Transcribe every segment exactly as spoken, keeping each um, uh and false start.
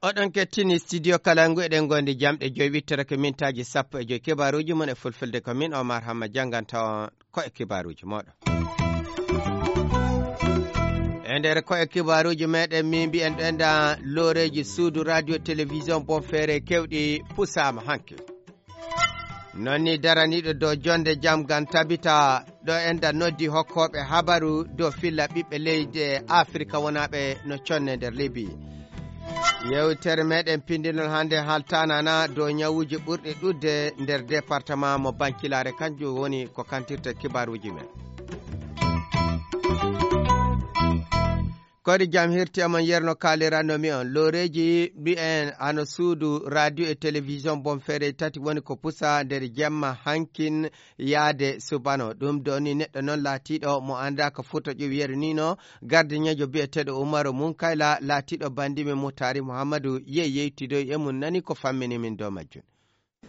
Oɗon kettini studio Kalangu, eɗen ngondi jamɗe joyi wittere ko mintaaji sappo e joyi. Kibaaruuji mon e fulfulde ko min Omar Hamma jannganta on ko e kibaaruuji mooɗon. E nder ko e kibaaruuji meɗen, min mbiyen ɗo enda looreeji suudu radio télévision Bonferré kewɗi pusaama hanki. Non ni daraniiɗo dow jonde jam ngam tabita ɗo enda noddi hokkooɓe habaru dow filla ɓiɓɓe leydi Afrika wonaaɓe no conne nder Libi. Yewtere meɗen pindinol hannde haltanana dow ñawuuji ɓurɗi ɗuɗde nder département mo Bankilaare, kanjum woni ko kantirta kibaaruuji men. Kodi jam hirti amon yerno kaalirano mi on. Looreeji mbi'en hano suudu radio e télévision Bonferré tati woni ko pusa nder jemma hankin yaade subano. Ɗum do ni neɗɗo non laatiiɗo mo anndaa ko futa ƴuwi yeru ni no gardiñeejo bi'eteeɗo Umaru Munkayla laatiiɗo bandimi Mutaari Muhammadu yehi yeytidoy e mum nani ko fammini min dow majjum.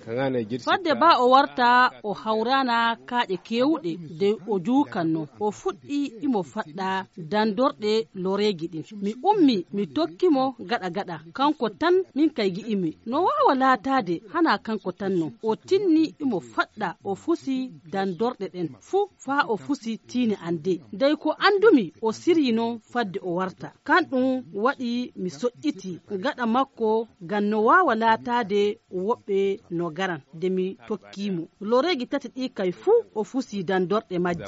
Fodde ba o warta, o hawrana kaaƴe keewuɗe de o juukanno. O fuɗɗi imo faɗɗa dandorɗe loreeji ɗin. Mi ummi, mi tokki mo gaɗa gaɗa. Kanko tan min kay gi'imi. No waawa laataade hana kanko tan non. O tinni imo faɗɗa, o fusi dandorɗe ɗen fuu faa o fusi tiini an de. Dey ko anndumi o siryi non fadde o warta. Kan ɗum waɗi mi soƴƴiti gaɗa makko ngam no waawa laataade woɓɓe no garan de mi tokki mo. Loreeji tati ɗi kay fuu o fusi dandorɗe majji.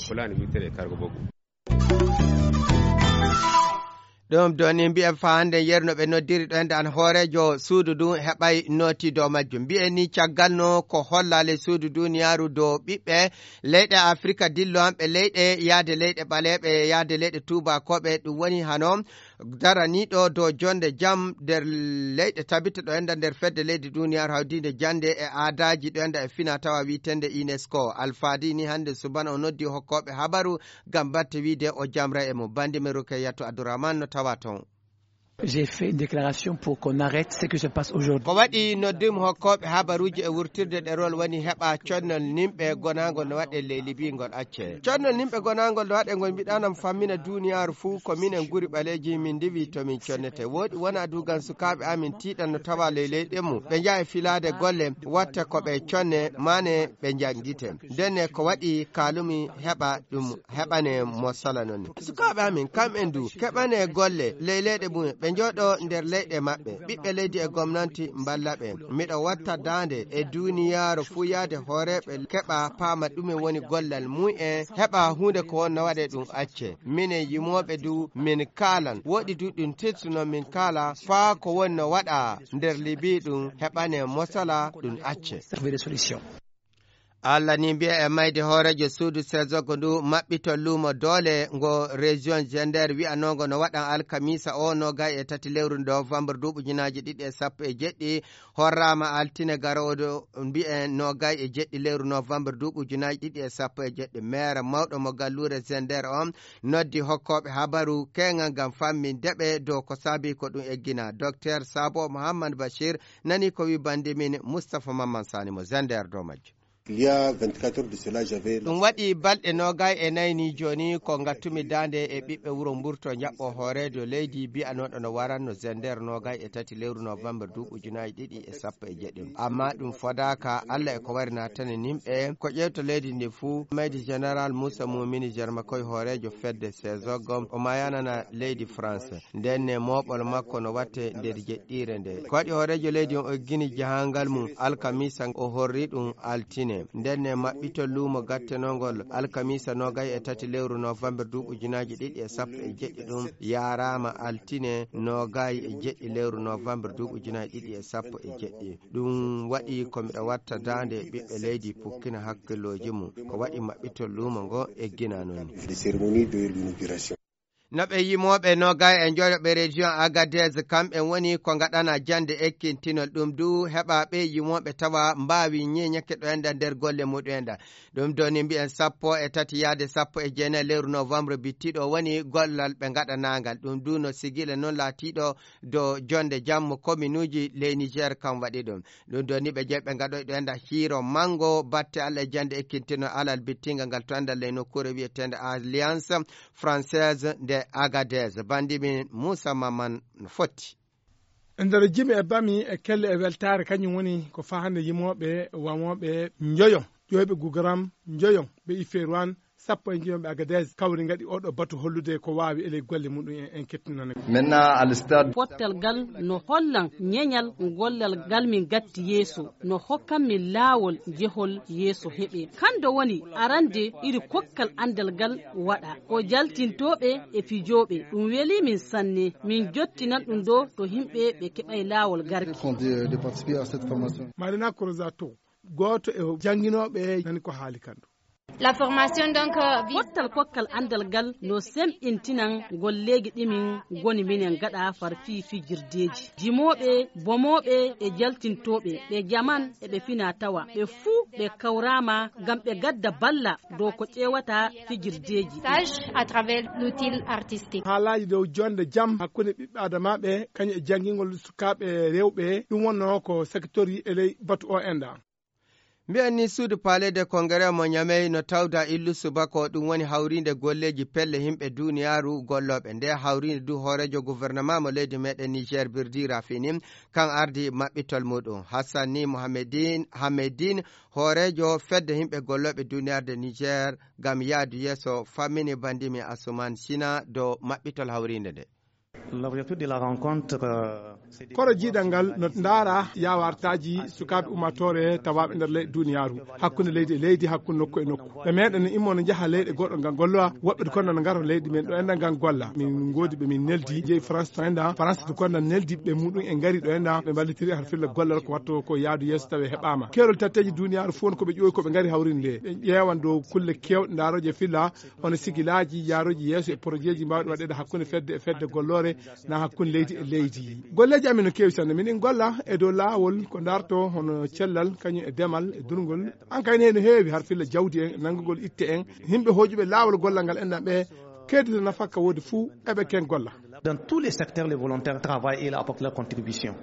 Ɗum ɗo ni mbiyen faa hannde yeru no ɓe noddiri ɗo ende an hooreejo suudu ndu heɓay nooti dow majjum. Mbiyen ni caggal no ko hollaale suudu duniyaaru dow ɓiɓɓe leyɗe Afrika dillo an ɓe leyɗe yaade leyɗe ɓaleeɓe, yaade leyɗe tuubakooɓe, ɗum woni hano daraniiɗo dow jonde jam nder leyɗe tabita ɗo enda nder fedde leydi duniyaaru hawdiinde jannde e aadaaji ɗo enda e fina tawa wiitende UNESCO. Alfaadi ni hannde subana o noddi hokkooɓe habaru ngam batte wiide o jamra e mum. Bandi men Rukayatu Abdourahmane no tawa toon. J'ai fait une déclaration pour qu'on arrête ce qui se passe aujourd'hui. Ko waɗi noddumi hokkooɓe habaruuji e wurtirde ɗerol woni heɓa connol nimɓe gonaangol no waɗe ley Libi ngol accee. Connol nimɓe gonaangol no waɗe ngol mbiɗanam fammina duniyaaru fuu ko minen guri ɓaleeji min ndiwi to min connete. Wooɗi wona dugan sukaaɓe amin tiiɗan no tawa ley leyɗe mum. Ɓe njaha e filaade golle watta ko ɓe conne mane ɓe njanngite. Ndenne ko waɗi kaalumi heɓa ɗum heɓane mo sala non. Sukaaɓe amin kamɓen du keɓane golle ley leyɗe mum ɓe njooɗo nder leyɗe maɓɓe. Ɓiɓɓe leydi e gomnanti mballa ɓe. Miɗo watta daande e duniyaaru fuu yaade hooreeɓe keɓa paama ɗume woni gollal mum en heɓa huunde ko wonno waɗe ɗum acce. Minen yimooɓe du min kaalan. Woɗi du ɗum tilsuno min kaala faa ko wonno waɗa nder Libi ɗum heɓane mosala ɗum acce. Trouver des solutions. Allah ni mbiya e mayde hooreejo suudu sezogo ndu maɓɓito luumo doole ngo région Zender wi'anongo no waɗan alkamisa o nogay e tati lewru novembre duuɓu ujunaaji ɗiɗi e sappo e jeɗɗi horraama altine garoodo mbi'en nogay e jeɗɗi lewru novembre duuɓu ujunaaji ɗiɗi e sappo e jeɗɗi. Meere mawɗo mo galluure Zender on noddi hokkooɓe habaru keeŋal ngam famminde ɓe dow ko saabi ko ɗum eggina. Docteur Sabo Mohammad Bachir nani ko wi bandi min Moustapha Mamman Sani mo Zender dow majjum. Il y a vingt-quatre heures de cela, j'avais ɗum waɗi balɗe noogay e nayi ni jooni ko ngattumi daande e ɓiɓɓe wuro Mburto njaɓɓo hooreejo leydi biyanooɗo no waranno Zender noogay e tati lewru novembre duuɓi ujunaaji ɗiɗi e sappo e jeɗɗi. Amma ɗum fodaaka, Allah e ko wari naatani nimɓe ko ƴeewto leydi ndi fuu. Maydi Général Moussa Moumini Jarmakoy hooreejo fedde Sezog o mayanana leydi France. Ndenne mooɓol makko no watte nder jeɗɗiire nde. Ko waɗi hooreejo leydi on o eggini jahangal mum alkamisa, o horri ɗum altine. Ndenne maɓɓito luumo gattenongol alkamisa noogay e tati lewru novembre duuɓi ujunaaji ɗiɗi e sappo e jeɗɗi ɗum yaaraama altine noogay e jeɗɗi lewru novembre duuɓi ujunaaji ɗiɗi e sappo e jeɗɗi. Ɗum waɗi ko miɗo watta daande ɓiɓɓe leydi pukkina hakkillooji mum. Ko waɗi maɓɓito luumo ngo eggina noon. Des cérémonies de l'inauguration. No ɓe yimooɓe noogay e njoyo ɓe région Agadez, kamɓe woni ko ngaɗana jannde ekkintinol ɗum du heɓa ɓe yimooɓe tawa mbaawi ñeñake ɗo enda nder golle muɗum enda. Ɗum do ni mbiyen sappo e tati yaade sappo e jeenayi lewru novembre bittiɗo woni gollal ɓe ngaɗanaangal. Ɗum du no sigila noon laatiiɗo do jonde jammo kominuuji ley Niger kam waɗi ɗum. Ɗum do ni ɓe jeeɓe ngaɗoy ɗo enda hiiro mango batte Allah e jannde ekkintinol alal bittinga ngal to enda ley nokkuure wi'eteende Alliance Française de Agadez. Bandi min Moussa Maman no fotti. E nder jimi e bami e kelle e weltaare, kañum woni ko fahande yimooɓe, wamooɓe njoyo, ƴooyɓe Gugaram njoyo, ɓe Ifeeruwan, sappo e njoyo ɓe Agadez, kawri ngaɗi oɗo batu hollude ko waawi e ley golle muɗum en, en kettinana. Maintenant, à le stade. Pottal gal no hollan ñeñal gollal gal min gatti yeeso, no hokkan min laawol jehol yeeso heɓe. Kando woni arande iri kokkal andal gal waɗa. Ko jaltintooɓe e fijooɓe. Ɗum weli min sanne. Min jottinan ɗum ɗo to himɓe ɓe keɓay laawol garki. De, de participer à cette formation. Marina Crozato, gooto e jannginooɓe, nani ko haali kan ɗo. La formation, donc, euh, vise. Pottal kokkal andal gal no semɓintinan golleeji ɗi min ngoni minen gaɗa far fii fijirdeeji. Jimooɓe, bomooɓe e jaltintooɓe, ɓe jaman e ɓe fina tawa, ɓe fuu ɓe kawraama ngam ɓe gadda balla dow ko ƴeewata fijirdeeji. Stage à travers l'outil artistique. Haalaaji dow jonde jam hakkunde ɓiɓɓe adamaaɓe, kañum e janngingol sukaaɓe rewɓe, ɗum wonnoo ko secteur e ley batu o enda. Mbiyen ni suudu Palais de Congrès mo Ñamey no tawda illu subaka o, ɗum woni hawriinde golleeji pelle yimɓe duniyaaru gollooɓe. Nde hawriinde du hooreejo gouvernement mo leydi meɗen Niger Birdi Rafini, kan ardi maɓɓitol muɗum. Hassan ni Mohamedin, Hamedin, hooreejo fedde yimɓe gollooɓe duniyaaru de Niger ngam yaadu yeeso fammini bandimi Asuman Sina do maɓɓitol hawriinde nde. L'objectif de la rencontre, euh, c'est de... Koro jiidal ngal no ndaara yaawartaaji sukaaɓe ummaatoore tawaaɓe nder leyɗe duniyaaru, hakkunde leydi e leydi, hakkunde nokku e nokku. Ɓe meeɗa no immo no njaha leyɗe goɗɗo ngam gollowa, woɓɓe to konda no ngara leydi men ɗo enda ngam golla. Min ngoodi ɓe min neldi, jeyi France to enda, France to konda neldi ɓe muɗum e ngari ɗo enda, ɓe mballitiri har filla gollal ko watto ko yaadu yeeso tawe heɓaama. Keerol tatteeji duniyaaru fof ko ɓe ƴoowi ko ɓe ngari hawrinde. Ɓe ƴeewan dow kulle keewɗe ndaarooje filla, hono sigilaaji, yaarooji yeeso e porojiji mbaawɗi waɗeede hakkunde fedde e fedde golloore, na hakkunde leydi e leydi. Golleeji amin no keewi sanne. Minin golla e dow laawol ko darto hono cellal, kañum e demal e durngol. An kay ne no heewi har filla jawdi en, nanngugol itte en. Yimɓe hooƴuɓe laawol gollal ngal enɗan ɓe, keedita nafaka woodi fuu, eɓe ken golla. Dans tous les secteurs, les volontaires travaillent et apportent leur contribution.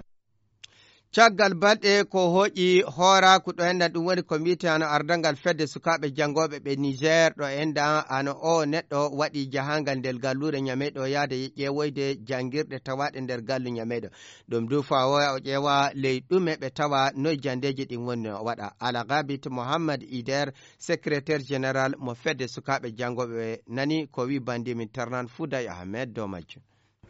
Caggal balɗe ko hooƴi hooraaku ɗo enɗan, ɗum woni ko mbiyetee hano ardangal fedde sukaaɓe janngooɓe ɓe Niger ɗo enɗan, hano o neɗɗo waɗi jahangal nder galluure Ñamey ɗo yaade ƴeewoyde janngirɗe tawaaɗe nder gallu Ñamey ɗo. Ɗum du faa o ƴeewa ley ɗume ɓe tawa noy janndeeji ɗin woni no waɗa. Alagabit Mohammad Ider, secrétaire général mo fedde sukaaɓe janngooɓe, nani ko wi bandi min Tarnan Fouday Ahmed dow majjum.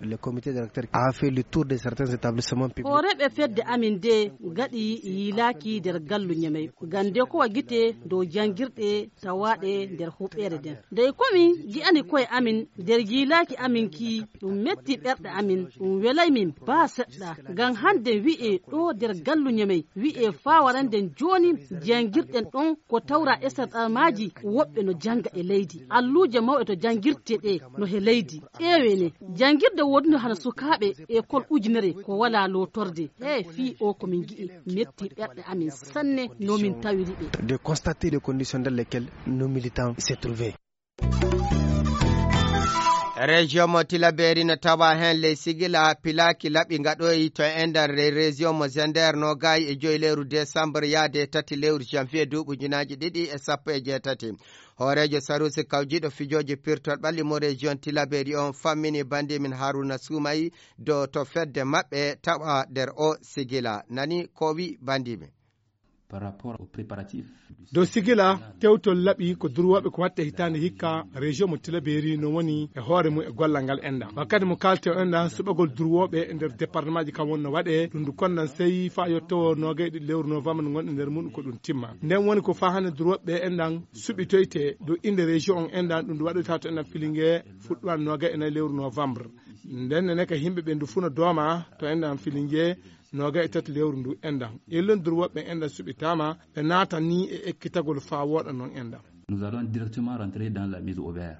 Le comité directeur a fait le tour de certains établissements publics. Hooreeɓe fedde amin de gaɗi yiilaaki nder gallu Ñamey. Gande ko wa gite dow janngirɗe tawaaɗe nder huɓeere nden. Dey ko min gi'ani koye amin nder yiilaaki amin ki, ɗum metti ɓerɗe amin, ɗum welay min baa seɗɗa. Ngam hande wi'e ɗo nder gallu Ñamey, wi'e faa waranden jooni janngirɗen ɗon ko tawra e sarɗamaaji woɓɓe no jannga e leydi. Alluuje mawɗe to janngirte ɗe no he leydi. Ƴeewene, janngirde woodunde hano sukaaɓe ekol ujunere ko walaa lootorde. He fii o ko min ngi'i metti ɓerɗe amin sanne no min tawiri ɓe. De constater les conditions dans lesquelles nos militants se trouvaient. Région mo Tilaberi no tawa heen ley sigila pilaaki laɓi ngaɗoyi to e nder région mo Zender no gaayi e joyi lewru décembre yaade tati lewru janvier duuɓi ujunaaji ɗiɗi e sappo e jeetati. Hooreejo Sarusi kawjiiɗo fijooji pirtol ɓalli mo région Tilaberi on fammini bandi min Haruna Sumay do to fedde maɓɓe tawa nder o sigila. Nani ko wi bandi min. Par rapport aux préparatifs du... Dow sigila tewtol laɓi ko durwooɓe ko watte hitaande hikka, région mo Tilaberi no woni e hoore mum e gollal ngal enɗan. Wakkati mo kaalte o enɗan suɓagol durwooɓe e nder département ji kam won no waɗe, ɗum ndu kondan sey faa yottowo noogay ɗiɗi lewru novembre ngonɗe nder muɗum ko ɗum timma. Nden woni ko faa hannde durwooɓe enɗan suɓitoyte dow innde région on enɗan, ɗum ndu waɗoyta to enɗan Filinge fuɗɗuwan noogay e nayi lewru novembre. Nden nene ka yimɓe ɓe ndu fuu no dooma to enɗan Filinge noogay e tati lewru ndu enɗan. Illon durwooɓe enɗan suɓitaama, ɓe naatan ni e ekkitagol faa wooɗa non enɗan. Nous allons directement rentrer dans la mise au vert.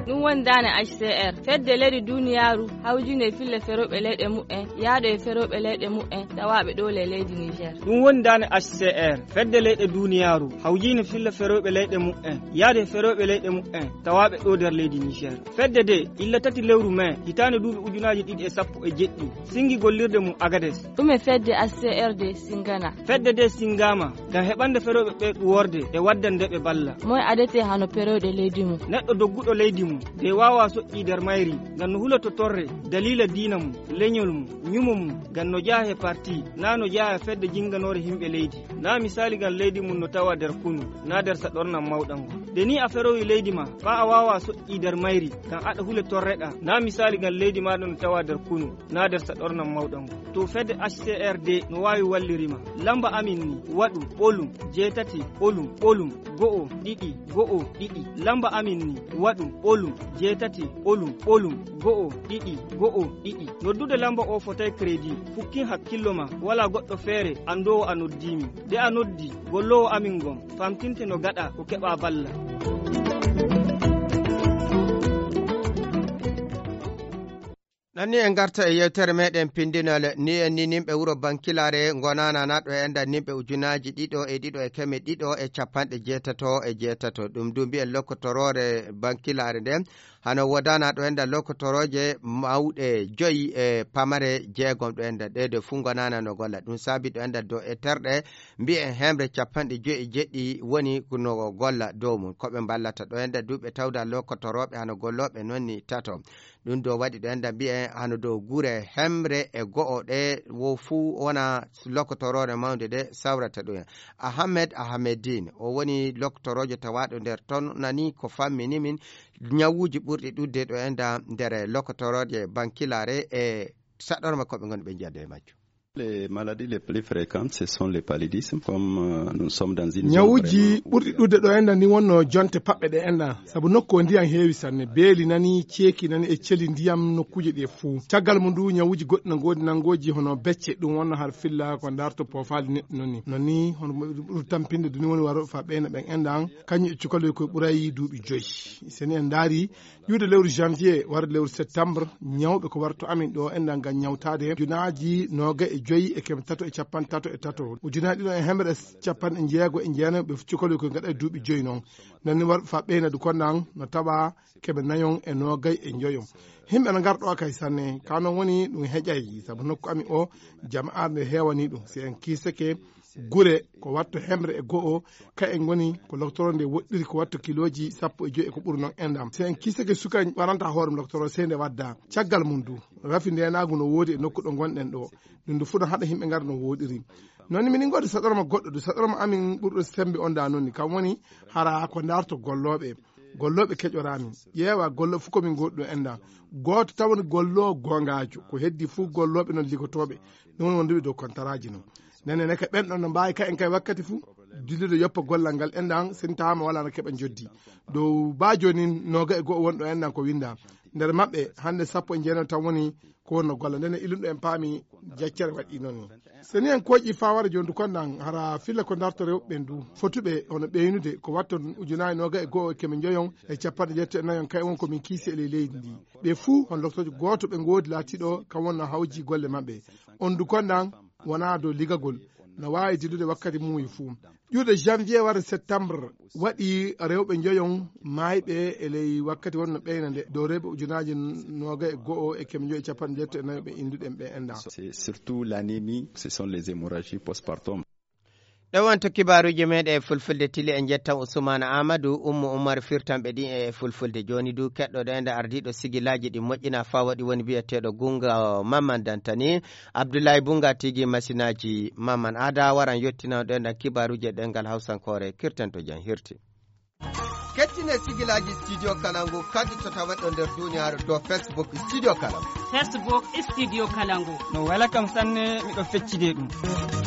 Ɗum woni daane H C R. Fedde leyɗe duniyaaru hawjine filla ferooɓe leyɗe muɓɓen, yaade e ferooɓe leyɗe muɓɓen tawaaɓe ɗo le leydi Niger. Ɗum woni daane H C R. Fedde leyɗe duniyaaru hawjine filla ferooɓe leyɗe muɓɓen, yaade e ferooɓe leyɗe muɓɓen tawaaɓe ɗo nder leydi Niger. Fedde de, illa tati lewru mai, hitaande duuɓi ujunaaji ɗiɗi e sappo e jeɗɗi, singi gollirde mum Agades. Ɗume fedde H C R de singana? Fedde de singama ngam heɓande ferooɓe ɓe ɗuworde e waddande ɓe balla. Moy adete hano perooɗe leydi mum? Neɗɗo dogguɗo leydi mum, de waawa soƴƴi nder mayri, ngam no huloto torre, daliila diina mum, leñol mum, ñumo mum, ngam no jeyaa he parti, naa no jeyaa he fedde jinganoore yimɓe leydi. Naa misaali ngam leydi mum no tawa nder kunu, naa nder saɗornan mawɗan ngon. De ni a ferowi leydi ma, faa a waawa soƴƴi nder mayri, ngam aɗa hule torreɗaa. Naa misaali ngam leydi maaɗa no tawa nder kunu, naa nder saɗornan mawɗan ngon. To fedde H C R de no waawi walliri ma. Lamba amin ni, waɗu, ɓolum, jeetati, ɓolum, ɓolum, go'o, ɗiɗi, go'o, ɗiɗi. Lamba amin ni, waɗu, ɓolum, jeetati, ɓolum, ɓolum, go'o, ɗiɗi, go'o, ɗiɗi. Noddude lamba o fotay kredi. Fukkin hakkillo ma, walaa goɗɗo feere anndoowo a noddii min. De a noddi, golloowo amin ngon, famtinte no gaɗa ko keɓa balla. Ɗon ni en ngarta e yewtere meɗen pindinole. Ni en ni nimɓe wuro Bankilaare ngonana na ɗo e enda nimɓe ujunaaji ɗiɗo e ɗiɗo e keme ɗiɗo e capanɗe jeetato e jeetato. Ɗum du mbiyen lokkotoroore Bankilaare nde hano wodana ɗo enda lokkotorooje mawɗe joyi e pamare jeegom ɗo enda. Ɗe de fu ngonana no golla. Ɗum saabi ɗo enda dow e terɗe mbiyen hemre capanɗe joyi e jeɗɗi woni no golla dow mum. Ko ɓe mballata ɗo enda du ɓe tawda lokkotorooɓe hano gollooɓe non ni tato. Ɗum ɗo waɗi ɗo enda mbiyen hano dow gure hemre e go'o ɗe wo fuu wona lokotoroore mawnde ɗe sawrata ɗum en. Ahmed Ahmedin, o woni lokotoroojo tawaaɗo nder ton nani ko fammini min ñawuuji ɓurɗi ɗuuɗde ɗo enda nder lokotorooje Bankilaare e saɗorma ko ɓe ngoni ɓe njiyata e majjum. Les maladies les plus fréquentes, ce sont les paludismes. Comme euh, nous sommes dans une zone ñawuuji vraiment ɓurɗi ɗuuɗde ɗo enda ni wonno jonte paɓɓe ɗe enda, sabu nokku o ndiyam heewi sanne, beeli nani, ceeki nani e celi ndiyam nokkuuje ɗe fuu. Caggal mum du ñawuuji goɗɗi no ngoodi nanngooji hono becce, ɗum wonno har filla ko ndarto poofaali neɗɗo non ni. Non ni hono ɓuri tampinde duni woni waro fa ɓeyna ɓen enda an, kañum e cukaloy koye ɓuray duuɓi joyi. Seni en ndaari, iwde lewru janvier warde lewru septembre, ñawɓe ko warto amin ɗo enɗan ngam ñawtaade ujunaaji noogay e joyi e keme tato e capanɗe tato e tato, ujunaaji ɗiɗo e hemre e capanɗe jeego e jeenayi ɓe cukaloy koye ngaɗa e duuɓi joyi non. Nani warɓe fa ɓeynadu konɗan no tawa keme nayon e noogay e joyon. Himɓe no ngar ɗo kay sanne, ka non woni ɗum heƴay, sabu nokku amin o, jama'aare nde heewani ɗum. Si en kiisake gure ko watto hemre e go'o, ka en ngoni ko loktoro nde woɗɗiri ko watto kilooji sappo e joyi e ko ɓuri non enɗam. Si en kiisake suka waranta hoore loktoro sey nde wadda. Caggal mum du, rafi ndenaagu no woodi e nokku ɗo ngonɗen ɗo. Ɗum du fuu no haɗa himɓe ngar no woɗɗiri. Non ni minin ngoodi saɗorma goɗɗo du, saɗorma amin ɓurɗo sembe on da non ni. Kam woni hara ko ndarto gollooɓe. Gollooɓe keƴoraami. Ƴeewa gollooɓe fof ko min ngoodi ɗo enɗam. Gooto taw woni golloowo goongaajo. Ko heddi fof gollooɓe non ligotooɓe. Ɗum woni wonduɓe dow kontaraaji non. Nene ne ka ɓen ɗon no mbaawi ka en kay wakkati fof. Dillude yoppa gollal ngal enɗam, sintaama wala no keɓa njoddi. Dow ba jooni nooga e go'o wonɗo enɗam ko winda. Nder maɓɓe, hannde sappo e jeenayi tan woni ko wonno golla. Nden e illuɗo en paami jaccere waɗi noon ni. So ni en kooƴi faa wara jooni du konɗan, hara filla ko ndarto rewɓe ɓen du. Fotuɓe hono ɓeynude ko watton ujunaaji nooga e go'o e keme njoyon e capanɗe jeetati e nayon kay won ko min kiisi e ley leydi ndi. Ɓe fuu hono loktoojo gooto ɓe ngoodi laatiiɗo kam wonno hawji golle maɓɓe. On du konɗan wonaa dow ligagol. No waawi dillude wakkati muuyi fuu. Ƴuuɗe janvier wara septembre waɗi rewɓe njoyon maayɓe e ley wakkati wonno ɓeyna nde dow rewɓe ujunaaji nooga e go'o e keme njoyi e capanɗe jeetati e nayo ɓe innduɗen ɓe enɗam. C'est surtout l'anémie, ce sont les hémorragies postpartum. Ɗo wonto kibaaruuji meeɗen e fulfulde tili en njettan Usmaana Aamadu, Ummu Umar firtanɓe ɗi e fulfulde. Jooni du keɗɗo ɗo enɗa ardiiɗo sigilaaji ɗi moƴƴina faa waɗi woni biyeteeɗo Gunga Mamman Dantani. Abdullahi Bunga tigi masinaaji Mamman Aada waran yottina ɗo enɗan kibaaruuji e ɗemngal Hawsankoore kirtanto jam hirti. Kettine sigilaaji Studio Kalangu kadi to taweɗo nder duniyaaru dow Facebook Studio Kalangu. Facebook Studio Kalangu. No wela kam sanne, miɗo feccide ɗum.